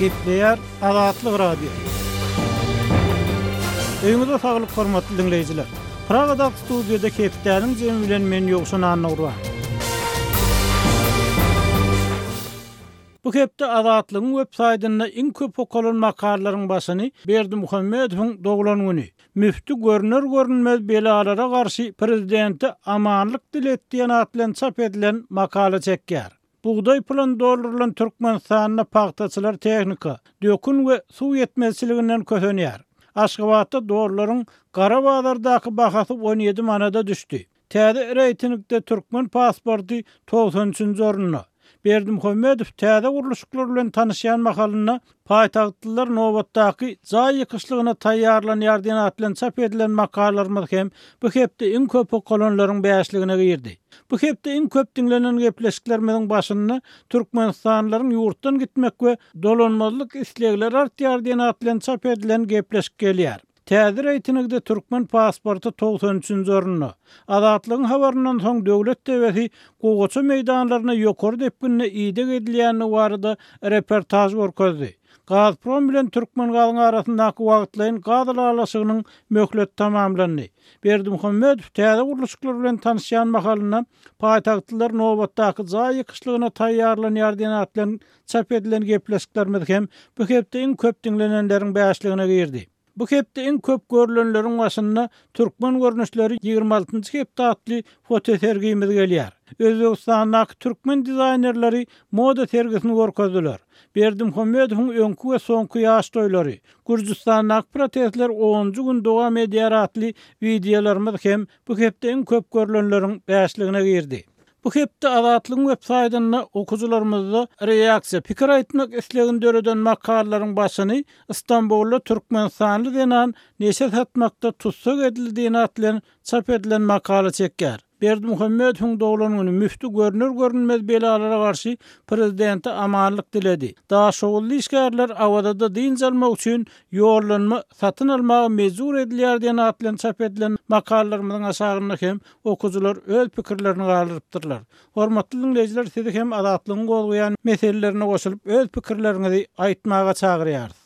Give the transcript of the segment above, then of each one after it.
Gepleýär Azatlyk Radiosy. Öýüňize saglyk hormatly diňleýjiler. Pragadaky studiýada hepdäniň jemi bilen men Ýowşan Annagurban. Bu hepde Azatlygyň web saýtynda iň köp okalan makalalaryň başyny Berdimuhamedowyň doglan güni, Müfti görner-görünmez belalara garşy prezidente amanlyk dilet diýen at bilen çap edilen makala çekýär. Bugdaý puluny doldurylan Türkmenistanda pagtaçylar tehnika, dökün we suw ýetmezçiliginden kösenýär. Aşgabatda dollaryň gara bazardaky bahasy 17 manada düşdi. Täze reýtingde türkmen pasporty 93-nji orunda. Berdimuhamedow täze gurluşyklar bilen tanyşýan mahalynda paýtagtlylar nobatdaky jaý ýykyşlygyna taýýarlanýar diýen at bilen çap edilen makalalarymyz hem bu hepde iň köp okalanlaryň bäşligine girdi. Bu hepde iň köp diňlenen gepleşiklerimiziň başynda türkmenistanlylaryň ýurtdan gitmek we dolanmazlyk islegleri artýar diýen at bilen çap edilen gepleşik gelýär. Täze reýtingde türkmen pasporty 93-nji orunda. Azatlygyň habaryndan soň döwlet TW-si gowaça meýdanlaryna ýokary depginde ideg edilýändigi barada reportaž görkezdi. Gazprom bilen Türkmengazyň arasyndaky wagtlaýyn gaz ylalaşygynyň möhleti tamamlandy. Berdimuhamedow täze gurluşyklar bilen tanyşýan mahalynda paýtagtlylar nobatdaky jaý ýykyşlygyna taýýarlanýar diýen at bilen Çap edilen gepleşiklerimiz hem bu hepde iň köp diňlenenleriň bäşligine girdi. Bu hepde iň köp görlenleriň başynda Türkmen görnüşleri 26-njy hepde atly fotosergimiz gelýär. Özbegistandaky türkmen dizaýnerleri moda sergisini görkezdiler. Berdimuhamedowyň öňki we soňky ýaş toýlary, Gürjüstandaky protestler onunjy gün dowam edýär atly wideolarymyz hem bu hepde iň köp görlenleriň bäşligine girdi. Bu hepde Azatlygyň web saýtynda okyjylarymyzda reaksiýa, pikir aýtmak islegini döreden makalalaryň başyny Stambulda türkmenistanly zenan neşe satmakda tussag edildi diýen at bilen çap edilen makala çekýär. Berdimuhamedowyň doglan güni müfti görner-görünmez belalara garşy prezidente amanlyk diledi. Daşoguzly işgärler Awazada dynç almak üçin ýollanma satyn almaga mejbur edilýär diýen at bilen çap edilen makalalarymyzyň aşagynda hem Okyjylar öz pikirlerini galdyrypdyrlar. Hormatly diňleýjiler sizi hem Azatlygyň gozgaýan meselelerine goşulyp öz pikirleriňizi aýtmaga çagyrýarys.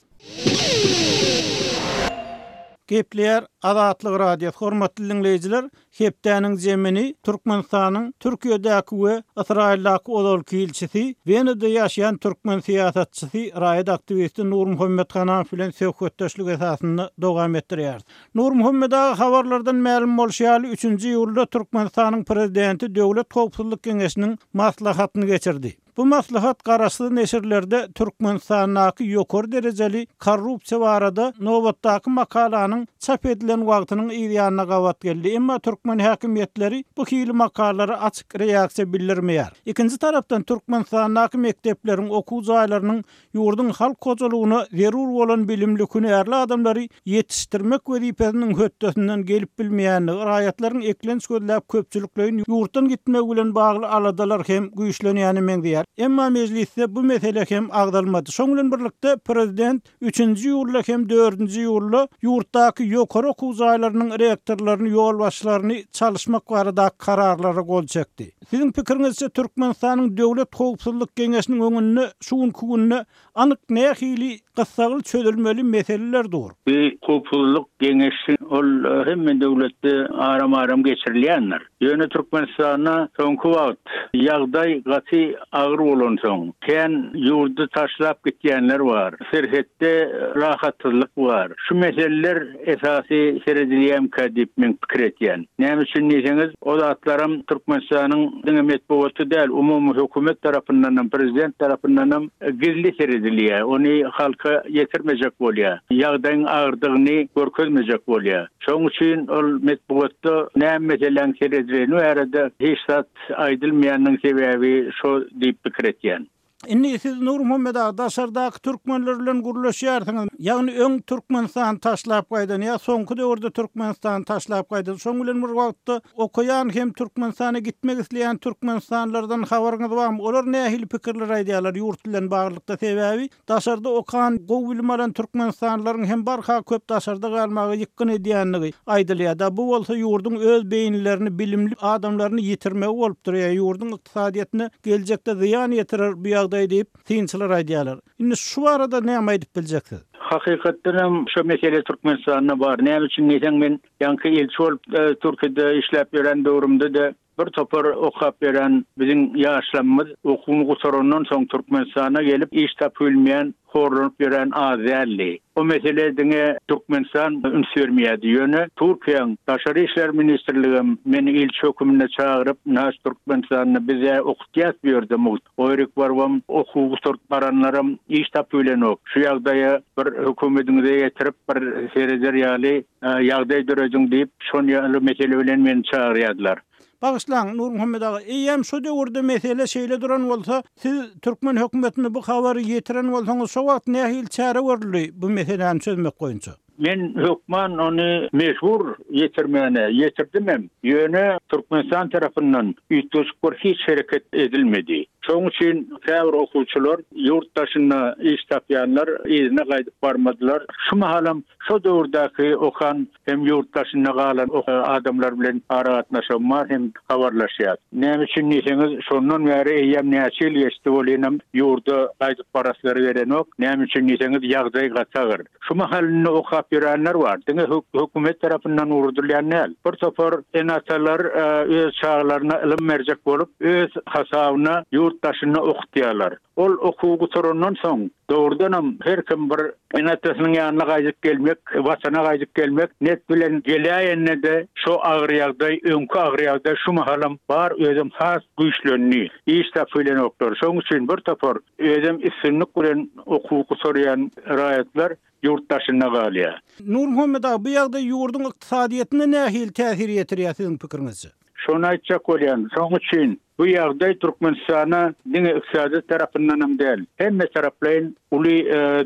Gepleýär Azatlyk Radiosy Hormatly diňleýjiler hepdäniň jemini Türkmenistanyň Türkiýedäki we Ysraýyldaky ozalky ilçisi, Wenada ýaşaýan türkmen syýasatçysy, raýat aktiwisti Nurmuhammet Hanamow bilen söhbetdeşlik esasynda dowam etdirýäris. Nurmuhammet aga habarlardan mälim bolşy ýaly, üçünji iýulda Türkmenistanyň Prezidenti Döwlet howpsuzlyk geňeşiniň maslahatyny geçirdi. Bu maslahat garaşsyz neşirlerde Türkmenistandaky ýokary derejeli korrupsiýa barada nobatdaky makalanyň çap edilen wagtynyň yzýanyna gabat geldi, emma türkmen häkimiýetleri bu hili makalalara açyk reaksiýa bildirmeýär. Ikinji tarapdan, Türkmenistandaky mekdepleriň, okuw jaýlarynyň ýurduň halk hojalygyna zerur bolan bilimli, hünärli adamlary ýetişdirmek wezipesiniň hötdesinden gelip bilmeýändigi, raýatlaryň eklenç gözläp köpçülikleýin ýurtdan gitmegi bilen bagly aladalar hem güýçlenýäne meňzeýär. Emma mejlisde bu mesele hem agzalmady. Şoň bilen birlikde, prezident üçünji iýulda hem dördünji iýulda ýurtdaky ýokary okuw jaýlarynyň rektorlaryny, ýolbaşçylaryny çalyşmak baradaky kararlara gol çekdi. Siziň pikiriňizçe Türkmenistanyň Döwlet howpsuzlyk geňeşiniň öňünde şu günki günde anyk nähili gyssagly çözülmeli meseleler dur? Bu howpsuzlyk geňeşi ol hemme döwletde aram-aram geçirilýändir. Ýöne Türkmenistanda soňky wagt ýagdaý gaty agyr bolansoň, kän ýurdy taşlap gitýänler bar, serhetde rahatsyzlyk bar. Şu meseleler esasy seredilýämkä diýip men pikir etýän. Näme üçin diýseňiz, o zatlaram Türkmenistanyň diňe metbugaty däl, umumy hökümet tarapyndanam, prezident tarapyndanam gizli seredilýär. Ony halka ýetirmejek bolýar. Ýagdaýyň agyrdygyny görkezmejek bolýar. Şonuň üçin ol metbugatda näme meseläň seredileni barada hiç zat aýdylmaýanynyň sebäbi şo diýip pikir etýän. Indi siz Nurmuhammet aga daşardaky türkmenler bilen gürleşýärsiňiz. Ýagny öň Türkmenistany taşlap gaýdan ýa soňky döwürde Türkmenistany taşlap gaýdan şoň bilen bir wagtda okaýan hem Türkmenistana gitmek isleýän türkmenistanlylardan habaryňyz barmy? Olar nähili pikirler aýdýarlar ýurt bilen baglylykda sebäbi daşarda okan gowy bilim alan türkmenistanlylaryň hem barha köp daşarda galmaga ýykgyn edýändigi aýdylýar-da bu bolsa ýurduň öz beýnilerini bilimli adamlaryny ýitirmegi bolup durýar ýurduň ykdysadyýetine geljekde zyýan ýetirer bu ýagdaý. ýagdaý diýip, synçylar aýdýarlar. Indi şu barada näme aýdyp biljek siz? Hakykatdan hem şo mesele Türkmenistanda bar. Näme üçin diýseň men ýaňky ilçi bolup Türkiýede işläp ýören döwrümde-de bir topar okap ýören biziň ýaşlamymyz okuwyny gutarandan soň Türkmenistana gelip iş tapyp bilmeýän horlanyp ýören az däldi. O mesele diňe Türkmenistan üns bermeýärdi. Ýöne Türkiýäň Daşary işler ministrligem meni ilçi höküminde çagyryp, Naş Türkmenistanda biz-ä okutýas bu ýerde mugt. O ýerik barybam okuw gutaryp baranlaram iş tapyp bilenok. Şu ýagdaýa bir hökümediňize ýetirip bir sereder ýaly ýagdaý dörediň diýip, şon ýaly mesele bilen meni çagyrýardylar. Bagyşlaň, Nurmuhammet aga, eýýäm şo döwürde mesele şeýle duran bolsa, siz türkmen hökümetine bu habary ýetiren bolsaňyz, şo wagt nähili çäre görüldi bu meseläni çözmek boýunça? Men hökman ony mejbur ýetirmäne, ýetirdimem. Ýöne Türkmenistan tarapyndan üýtgeşik bir hiç hereket edilmedi. Şonuň üçin käbir okuwçylar ýurt daşynda iş tapýanlar yzyna gaýdyp barmadylar. Şu mahalam şo döwürdäki okan hem ýurt daşynda galan adamlar bilen aragatnaşygym bar hem habarlaşýas. Näme üçin diýseňiz, şondan bäri eýýäm näçe ýyl geçdi welinem ýurda gaýdyp baraslary gelenok. Näme üçin diýseňiz, ýagdaý gaty agyr. Şu mahal indi okap ýörenler bar. Diňe hökümet tarapyndan ugradylýan däl. Bir topar ene-atalar öz çagalaryna ylym berjek bolup, öz hasabyna ýurt daşynda okutýarlar. Ol okuwy gutarandan soň, dogrudanam her kim bir ene-atasynyň ýanyna gaýdyp gelmek, Watana gaýdyp gelmek net bilen geläýende-de şo agyr ýagdaý, öňki agyr ýagdaý şu mahalam bar, özem has güýçlendi. Iş tapybilenoklar. Şonuň üçin bir topar özem üstünlik bilen okuwy gutarýan raýatlar ýurt daşynda galýar. Nurmuhammet aga, bu ýagdaý ýurduň ykdysadyýetine nähili täsir ýetirýär siziň pikiriňizçe? Şony aýtjak bolýan. Şonuň üçin bu ýagdaý Türkmenistana diňe ykdysady tarapyndanam däl, hemme taraplaýyn uly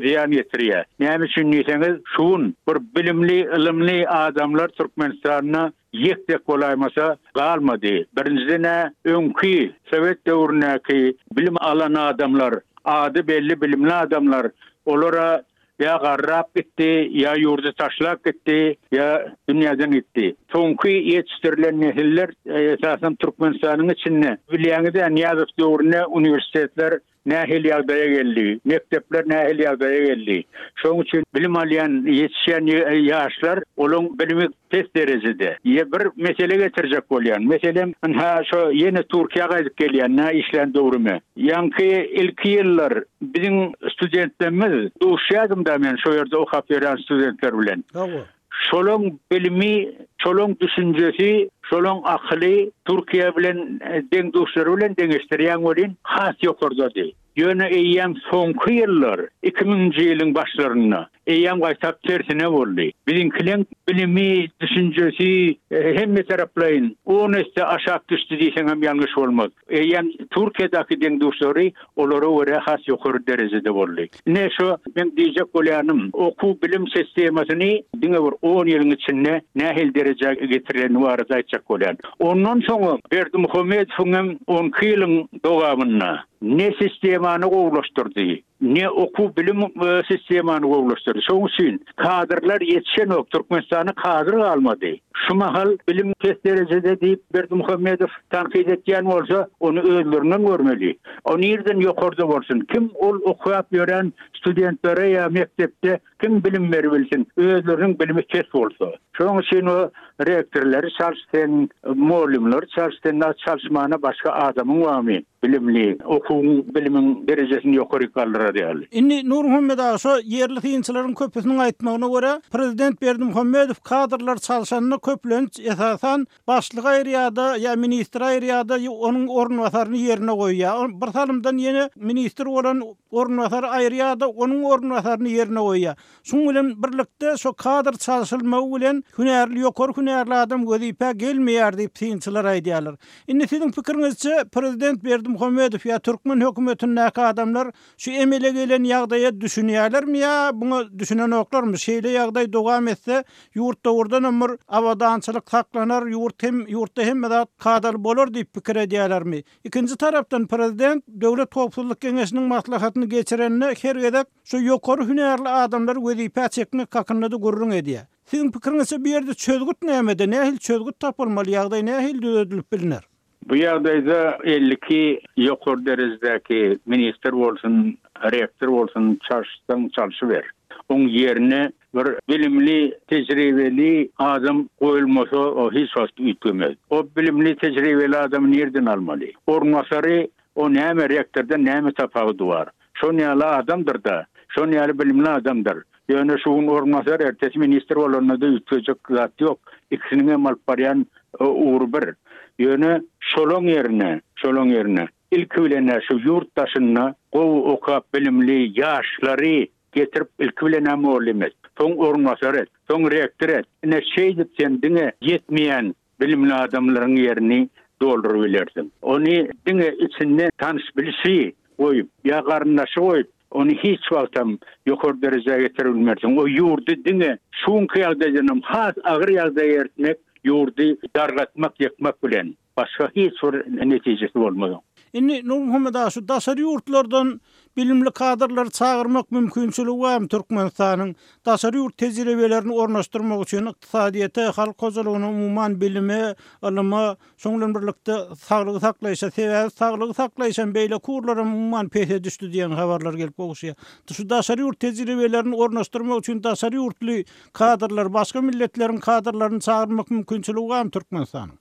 zyýan ýetirýär. Näme üçin diýseňiz, şu gün bir bilimli, ylymly adamlar Türkmenistanda ýek-tek bolaýmasa galmady. Birinjiden-ä öňki sowet döwründäki bilim alan adamlar, ady belli bilimli adamlar, olar-a ýa garrap gitdi, ýa ýurdy taşlap gitdi, ýa dünýäden gitdi. Soňky ýetişdirilen nesiller, esasanam Türkmenistanyň içinde, bilýäňiz-ä, Nyýazow döwründe uniwersitetler nähili ýagdaýa geldi, mekdepler nähili ýagdaýa geldi. Şonuň üçin bilim alýan, ýetişýän ýaşlar, olaň bilimi pes derejede. Ýe bir mesele getirjek bolýan. Meselem, ynha şo ýene Türkiýä gaýdyp gelýän, nä işlän döwrüme. Ýaňky ilki ýyllar biziň studentlerimiz, duşýardym-da men şo ýerde okap ýören studentler bilen. Hawa. Şolaň bilimi, şolaň düşünjesi, şolaň akyly Türkiýe bilen deň-duşlary bilen deňeşdirýäň welin has ýokardady. Ýöne eýýäm soňky ýyllar, iki müňünji ýylyň başlarynda eýýäm gaýtap tersine boldy. Biziňkileň bilimi, düşünjesi hemme taraplaýyn on esse aşak düşdi diýseňem ýalňyş bolmaz. Eýýäm Türkiýedäki deň-duşlary olara görä has ýokary derejede boldy. Ine şu meň diýjek bolýanym, okuw-bilim sistemasyny diňe bir on ýylyň içinde nähili derejä getirileni barada aýtjak bolýan. Ondan soňam Berdimuhamedowyň hem on iki ýylyň dowamynda ne sistemany gowulaşdyrdy, ne okuw-bilim sistemany gowulaşdyrdy. Şonuň üçin kadrlar ýetişenok, Türkmenistanda kadr galmady. Şu mahal bilim pes derejede diýip Berdimuhamedow tankyt etýän bolsa, ony özlerinden görmeli. O nirden ýokarda bolsun? Kim ol okap ýören studentlere ýa mekdepde kim bilim beribilsin, özleriniň bilimi pes bolsa. Şonuň üçin o rektorlary çalş sen, mugallymlary çalş sen, çalyşmana başga adamyň barmy? Bilimli, okuwyň, bilimiň derejesini ýokaryk galdyrar ýaly. Indi Nurmuhammet aga, şo ýerli synçylaryň köpüsiniň aýtmagyna görä, prezident Berdimuhamedow kadrlary çalşanda köplenç, esasan, başlygy aýyrýar-da, ýa ministri aýyrýar-da, onuň orunbasaryny ýerine goýýar. Bir salymdan ýene ministr bolan orunbasary aýyrýar-da, onuň orunbasaryny ýerine goýýar. Şuň bilen birlikde, şo kadr çalşylmagy bilen hünärli, ýokary hünärli adam wezipä gelmeýär diýip, synçylar aýdýarlar. Indi siziň pikiriňizçe, prezident Berdimuhamedow ýa türkmen hökümetindäki adamlar şu emele gelen ýagdaýa düşünýärlermi ýa muňa düşünenoklarmy? Şeýle ýagdaý dowam etse, ýurt dogrudanam bir abadançylyk saklanar, ýurt hem, ýurtda hemme zat kadaly bolar diýip pikir edýärlermi? Ikinji tarapdan, prezident Döwlet howpsuzlyk geňeşiniň maslahatyny geçirende her gezek Şu ýokary hünärli adamlary wezipä çekmek hakynda-da gürrüň edýär. Siziň pikiriňizçe bu ýerde çözgüt nämede, nähili çözgüt tapylmaly, ýagdaý nähili düzedilip bilner? Bu ýagdaýda 52 ýokary derejedäki ministr bolsun, rektor bolsun çalyşsaň çalşyber. Oň ýerine bir bilimli, tejribeli adam goýulmasa o hiç wagt üýtgemez. O bilimli, tejribeli adamy nirden almaly? Orunbasary o näme rektordan näme tapawudy bar? Şon ýaly adamdyr-da, şon ýaly bilimli adamdyr. Ýöne şu gün orunbasar, ertesi ministr bolanda-da üýtgejek zat ýok. Ikisiniň hem alyp barýan ugry bir. Ýöne şolaň ýerine, şolaň ýerine ilki bilen-ä şu ýurt daşynda gowy okap bilimli ýaşlary getirip ilki bilen-ä mugallym et. Soň orunbasar et. Soň rektor et. Ine şeýdip sen diňe ýetmeýän bilimli adamlaryň ýerini dolduryp bilersiň. Ony diňe içinde tanyş-bilişi goýup ýa garyndaşy goýup, ony hiç wagtam ýokary derejä getirip bilmersiň. O ýurdy diňe şu günki ýagdaýdanam has agyr ýagdaýa eltmek, ýurdy dargatmak, ýykmak bilen başga hiç bir netijesi bolmaz oň. Indi Nurmuhammet aga şu daşary ýurtlardan bilimli kadrlary çagyrmak mümkinçiligi barmy Türkmenistanyň daşary ýurt tejribelerini ornaşdyrmak üçin ykdysadyýete, halk hojalygyna umuman bilime, ylyma, şoň bilen birlikde saglygy saklaýşa sebäbi saglygy saklaýşam beýleki ugurlaram umuman pese düşdi diýen habarlar gelip gowuşýar. Şu daşary ýurt tejribelerini ornaşdyrmak üçin daşary ýurtly kadrlary başga milletleriň kadrlaryny çagyrmak mümkinçiligi barmy Türkmenistanyň?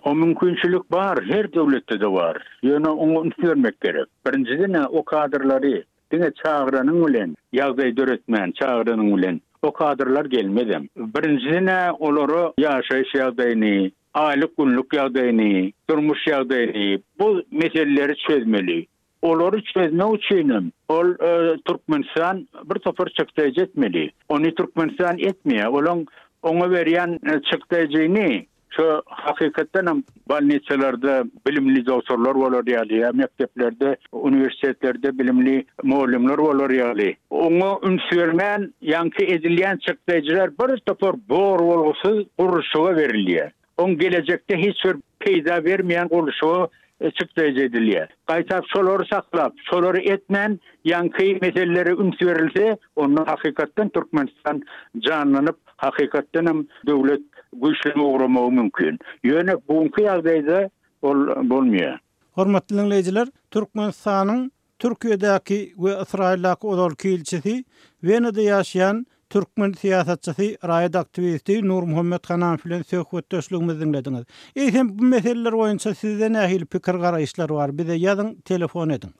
O mümkinçilik bar, her döwletde-de bar. Ýöne oňa üns bermek gerek. Birinjiden-ä o kadrlary diňe çagyranyň bilen, ýagdaý döretmän çagyranyň bilen o kadrlar gelmezem. Birinjiden-ä olara ýaşaýyş ýagdaýyny, aýlyk-günlük ýagdaýyny, durmuş ýagdaýyny, bu meseleleri çözmeli. Olary çözmek üçinem ol Türkmenistan bir topar çykdaýjy etmeli. Ony Türkmenistan etmeýär. Olaň oňa berýän çykdaýjyny şo hakykatdanam bolnisalarda bilimli dogtorlar bolar ýaly ýa mekdeplerde, uniwersitetlerde bilimli mugallymlar bolar ýaly. Oňa üns bermän ýaňky edilýän çykdaýjylar bir topar bor bolgusyz gurluşyga berilýär. Oň gelejekde hiç bir peýda bermeýän gurluşyga çykdaýjy edilýär. Gaýtap şolary saklap, şolary etmän ýaňky meselelere üns berilse, onda hakykatdan Türkmenistan janlanyp, hakykatdanam döwlet güýçlenip ugramagy mümkin. Ýöne bu günki ýagdaýda ol bolmaýar. Hormatly diňleýjiler, Türkmenistanyň Türkiýedäki we Ysraýyldaky ozalky ilçisi, Wenada ýaşaýan türkmen syýasatçysy, raýat aktiwisti Nurmuhammet Hananow bilen söhbetdeşligimizi diňlediňiz. Eýsem, bu meseleler boýunça sizde nähili pikir-garaýyşlar bar? Bize ýazyň, telefon ediň.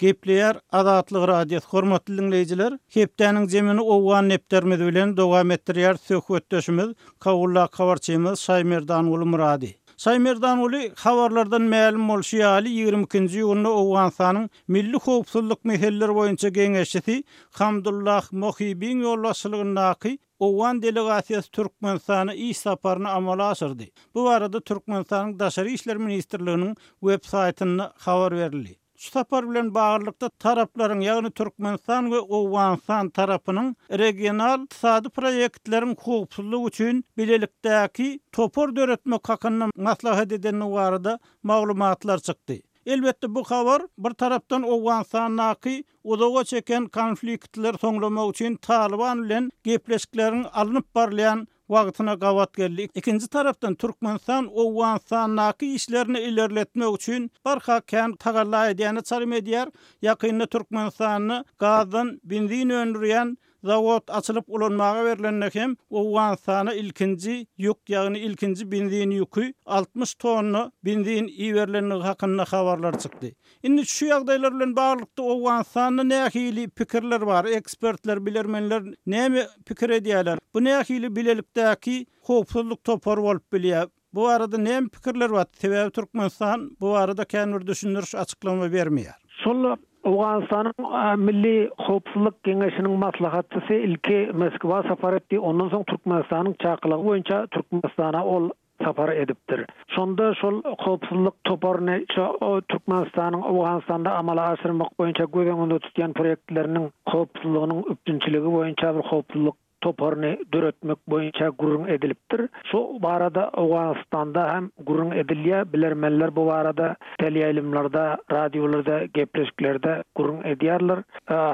Gepleýär Azatlyk Radiosy Hormatly diňleýjiler, hepdäniň jemini owgan depderimiz bilen dowam etdirýär söhbetdeşimiz, Kabuldaky habarçymyz Şaýmerdanguly Myrady. Şaýmerdanguly, habarlardan mälim bolşy ýaly, 22-nji iýunda Owganystanyň Milli howpsuzlyk meseleleri boýunça geňeşçisi Hamdullah Mohibiň ýolbaşçylygyndaky owgan delegasiýasy Türkmenistana iş saparyny amala aşyrdy. Bu barada Türkmenistanyň Daşary işler ministrliginiň web saýtynda habar berildi. Şu sapar bilen baglylykda taraplaryň, ýagny Türkmenistan we Owganystan tarapynyň regional ykdysady proýektleriň howpsuzlygy üçin bilelikdäki topar döretmek hakynda maslahat edendigi barada maglumatlar çykdy. Elbetde, bu habar, bir tarapdan, Owganystandaky uzaga çeken konfliktleri soňlamak üçin Talyban bilen gepleşikleriň alnyp barylýan wagtyna gabat geldi. Ikinji tarapdan, Türkmenistan Owganystandaky işlerini ilerletmek üçin barha kän tagalla edýäne çalym edýär. Ýakynda Türkmenistanda gazdan benzin öndürýän zawod açylyp ulanmaga berlende hem Owganystana ilkinji ýük, ýagny ilkinji benzin ýüki, 60 tonna benzin iberilendigi hakynda habarlar çykdy. Indi şu ýagdaýlar bilen baglylykda Owganystanda nähili pikirler bar, ekspertler, bilermenler näme pikir edýärler? Bu nähili bilelikdäki howpsuzlyk topary bolup bilýär? Bu barada näme pikirler bar? Sebäbi Türkmenistan bu barada kän bir düşündiriş, açyklama bermeýär. Şol Owganystanyň Milli howpsuzlyk geňeşiniň maslahatçysy ilki Moskwa sapar etdi, ondan soň Türkmenistanyň çakylygy boýunça Türkmenistana ol sapar edipdir. Şonda şol howpsuzlyk toparyny şo Türkmenistanyň Owganystanda amala aşyrmak boýunça göz öňünde tutýan proýektleriniň howpsuzlygynyň üpjünçiligi boýunça bir howpsuzlyk. toparyny döretmek boýunça gürrüň edilipdir. Şu barada Owganystanda hem gürrüň edilýär. Bilermenler bu barada teleýaýlymlarda, radiolarda, gepleşiklerde gürrüň edýärler.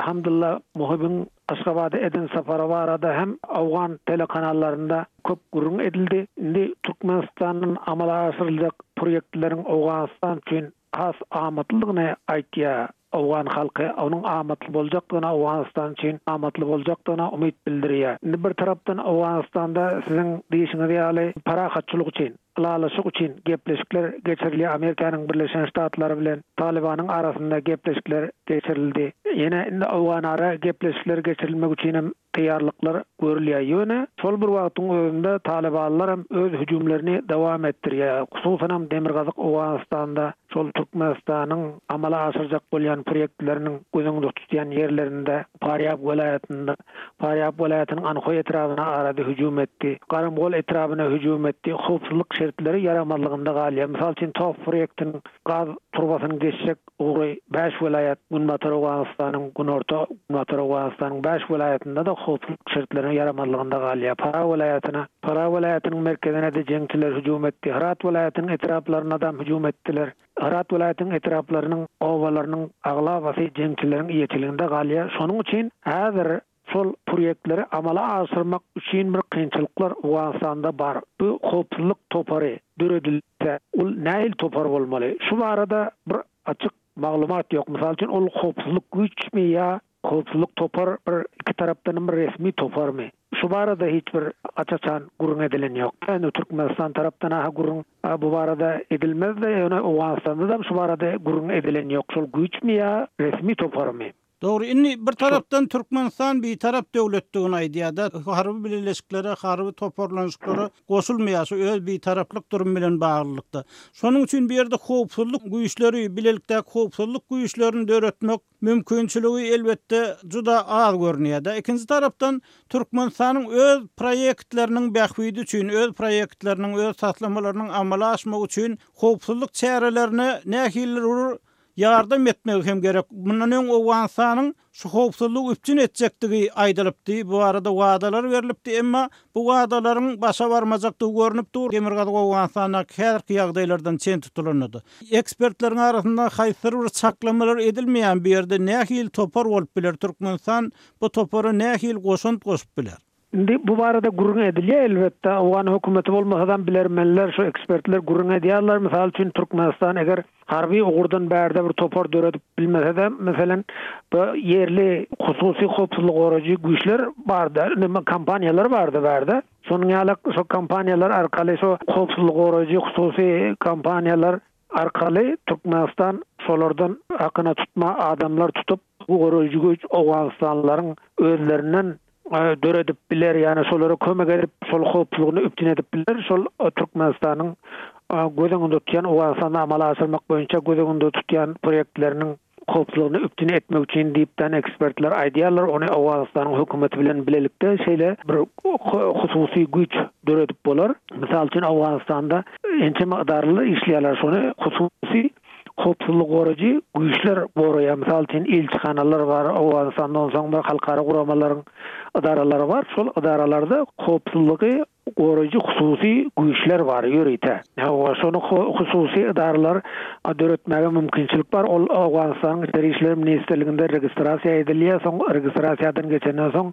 Hamdullah Muhybyň Aşgabada eden sapary barada hem owgan telekanallarynda köp gürrüň edildi. Indi Türkmenistandan amala aşyryljak proýektleriň Owganystan üçin has amatlydygyny aýtýar. Owgan halky onuň amatly boljakdygyna, Owganystan üçin amatly boljakdygyna umyt bildirýär. Indi bir tarapdan Owganystanda siziň diýşiňiz ýaly parahatçylyk üçin, ylalaşyk üçin gepleşikler geçirilýär. Amerikanyň Birleşen Ştatlary bilen Talybanyň arasynda gepleşikler geçirildi. Ýene indi owganara gepleşikler geçirilmek üçin hem taýýarlyklar görülýär. Ýöne şol bir wagtyň özünde talybanlar hem öz hüjümlerini dowam etdirýär. Hususanam demirgazyk Owganystanda şol Türkmenistanyň amala aşyrjak bolýan proýektleriniň göz öňünde tutýan ýerlerinde Farýab welaýatynda Farýab welaýatynyň Anhoý etrabyna arada hüjüm etdi. Garamgol etrabyna hüjüm etdi. Howpsuzlyk şertleri ýaramazlygynda galýar. Mysal üçin TOPH proýektiniň gaz turbasynyň geçjek ugry bäş welaýat, Günbatar Owganystanyň, Günorta, Günbatar Owganystanyň bäş welaýatynda-da howpsuzlyk şertleriniň ýaramazlygynda galýar. Farah welaýatyna, Farah welaýatynyň merkezine-de jeňçiler hüjüm etdi. Hyrat welaýatynyň etraplaryna-dam hüjüm etdiler. Hyrat welaýatynyň etraplarynyň obalarynyň aglabasy jeňçileriň eýeçiliginde galýar. Şonuň üçin häzir Şol proýektleri amala aşyrmak üçin bir kynçylyklar Owganystanda bar. Bu howpsuzlyk topary döredilse, ol nähili topar bolmaly? Şu barada bir açyk maglumat ýok. Mysal üçin, ol howpsuzlyk güýçmi ýa howpsuzlyk topar bir iki tarapdanam bir resmi toparmy? Şu barada hiç bir aç-açan gürrüň edilen ýok. Indi Türkmenistan tarapdan-a gürrüň bu barada edilmez-de, ýöne Owganystanda-da şu barada gürrüň edilen ýok. Şol güýçmi ýa resmi toparmy? Dogry, indi bir tarapdan Türkmenistan bitarap döwletdigini aýdýar-da, harby bileleşiklere, harby toparlanyşyklara goşulmaýar, şu öz bitaraplyk durumy bilen baglylykda. Şonuň üçin bu ýerde howpsuzlyk güýçleri, bilelikdäki howpsuzlyk güýçlerini döretmek mümkinçiligi elbetde juda az görünýär-de. Ikinji tarapdan, Türkmenistanyň öz proýektleriniň bähbidi üçin, öz proýektleriniň, öz taslamalarynyň amala aşmagy üçin howpsuzlyk çärelerine nähilidir bir ýardam etmegi hem gerek. Mundan öň Owganystanyň şu howpsuzlygy üpjün etjekdigi aýdylypdy, bu barada wadalar berlipdi, emma bu wadalaryň başa barmajakdygy görnüp dur, Demirgazyk Owganystandaky häzirki ýagdaýlardan çen tutulanda-da. Ekspertleriň arasynda haýsydyr bir çaklamalar edilmeýän bu ýerde nähili topar bolup biler, Türkmenistan bu topara nähili goşant goşup biler? Indi bu barada gürrüň edilýär elbetde, owgan hökümeti bolmasadam bilermenler, şu ekspertler gürrüň edýärler. Mysal üçin Türkmenistan eger harby ugurdan bärde bir topar döredip bilmesede, meselem, bu ýerli hususy howpsuzlyk goraýjy güýçler barda, neme kompaniýalar barda bärde. Şonuň ýaly şo kompaniýalar arkaly şo howpsuzlyk goraýjy hususy kompaniýalar arkaly Türkmenistan şolardan hakyna tutma adamlar tutup, bu goraýjy güýç owganystanlylaryň özlerinden döredip biler, ýagny şolara kömek edip, şol howpsuzlygyny üpjün edip biler, şol Türkmenistanyň göz öňünde tutýan, Owganystanda amala aşyrmak boýunça göz öňünde tutýan proýektleriniň howpsuzlygyny üpjün etmek üçin diýipden ekspertler aýdýarlar, ony Owganystanyň hökümeti bilen bilelikde şeýle bir hususy güýç döredip bolar. Mysal üçin, Owganystanda ençeme edaralar işleýärler, şony hususy Howpsuzlygy goraýjy güýçler goraýar. Mysal üçin, ilçihanalar bar, Owganystanda onsoň bir halkara guramalaryň edaralary bar. Şol edaralarda howpsuzlygy goraýjy hususy güýçler bar ýörite. Hawa, şony hususy edaralar döretmäge mümkinçilik bar. Ol Owganystanyň Içeri işler ministrliginde registrasiýa edilýär. Soň registrasiýadan geçenden soň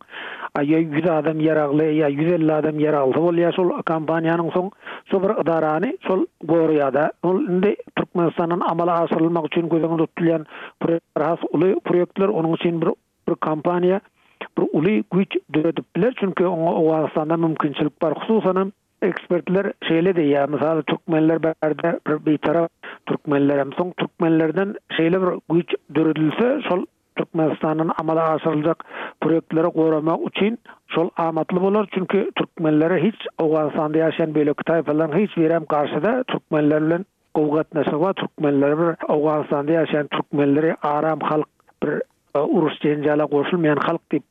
ýa 100 adam ýaragly, ýa 150 adam ýaraglysy bolýar şol kompaniýanyň soň Şo bir ydarany şol goraýada. Ol indi Türkmenistandan amala aşyrylmak üçin göz öňünde tutulýan proýektler has uly proýektler. Onuň üçin bir bir kompaniýa bir uly güýç döredip biler. Çünki oňa Owganystanda mümkinçilik bar. Hususanam ekspertler şeýle diýýär, mysaly türkmenler bärde bir bitarap türkmenlerem. Soň türkmenlerden şeýle bir güýç döredilse şol Türkmenistandan amala aşyryljak proýektleri goramak üçin şol amatly bolar, çünki türkmenlere hiç Owganystanda ýaşaýan beýleki taýpalaryň hiç birem garşy-da, türkmenler bilen gowy gatnaşygy bar, türkmenleri bir Owganystanda ýaşaýan türkmenleri aram halk, bir uruş-jenjala goşulmaýan halk diýip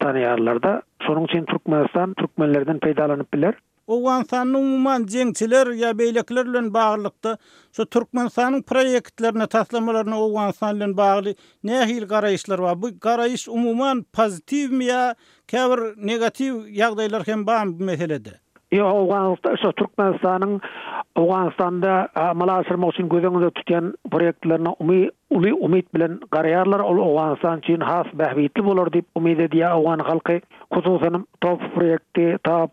tanaýarlar-da. Şonuň üçin Türkmenistan türkmenlerden peýdalanyp biler. Owganystanda umuman jeňçiler ýa beýlekiler bilen baglylykda şu Türkmenistanyň proýektlerine, taslamalaryna Owganystan bilen bagly nähili garaýyşlar bar? Bu garaýyş umuman pozitiwmi ýa käbir negatiw ýagdaýlar hem barmy bu meselede? Ýok, Owganystan, şu Türkmenistanyň Owganystanda amala aşyrmak üçin göz öňünde tutýan proýektlerine umy uly umyt bilen garaýarlar. Ol Owganystan üçin has bähbitli bolar diýip umyt edýär owgan halky. Hususanam TOPH proýekti, TAP,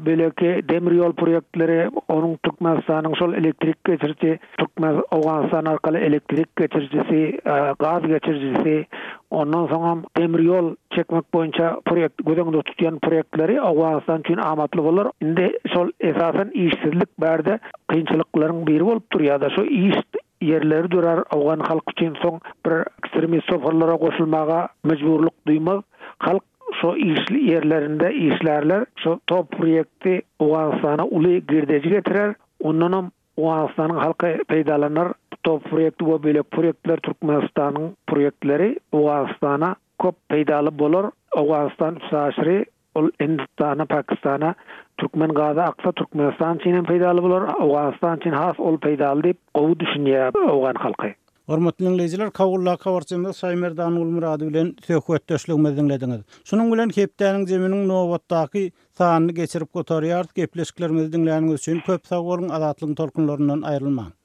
beýleki demir ýol proýektleri, onuň Türkmenistanyň şol elektrik geçiriji, Türkmen Owganystan arkaly elektrik geçirijisi, gaz geçirijisi, ondan soňam demir ýol çekmek boýunça proýekt göz öňünde tutýan proýektleri Owganystan üçin amatly bolar. Indi şol esasan işsizlik bärde kynçylyklaryň biri bolup durýar-da, şu iş ýerleri dörär owgan halky üçin soň bir ekstremist toparlara goşulmaga mejburlyk duýmaz. Halk şo işli ýerlerinde işlärler. Şo top proýekti Owganystana uly girdeji getirer. Ondanam Owganystanyň halky peýdalanar. Top proýekti we beýleki proýektler Türkmenistanyň proýektleri Owganystana köp peýdaly bolar. Owganystan üstaşyry Ol Hindistana, Pakistana türkmen gazy aksa Türkmenistan üçin hem peýdaly bolar, Owganystan üçin has ol peýdaly diýip gowy düşünýär owgan halky. Hormatly diňleýjiler, Kabuldaky habarçymyz Şaýmerdan Gulmyrady bilen söhbetdeşligimizi diňlediňiz. Şunuň bilen hepdäniň jeminiň nobatdaky sanyny geçirip gutarýarys. Gepleşiklerimizi diňläniňiz üçin köp sag boluň, Azatlygyň tolkunlaryndan aýrylmaň.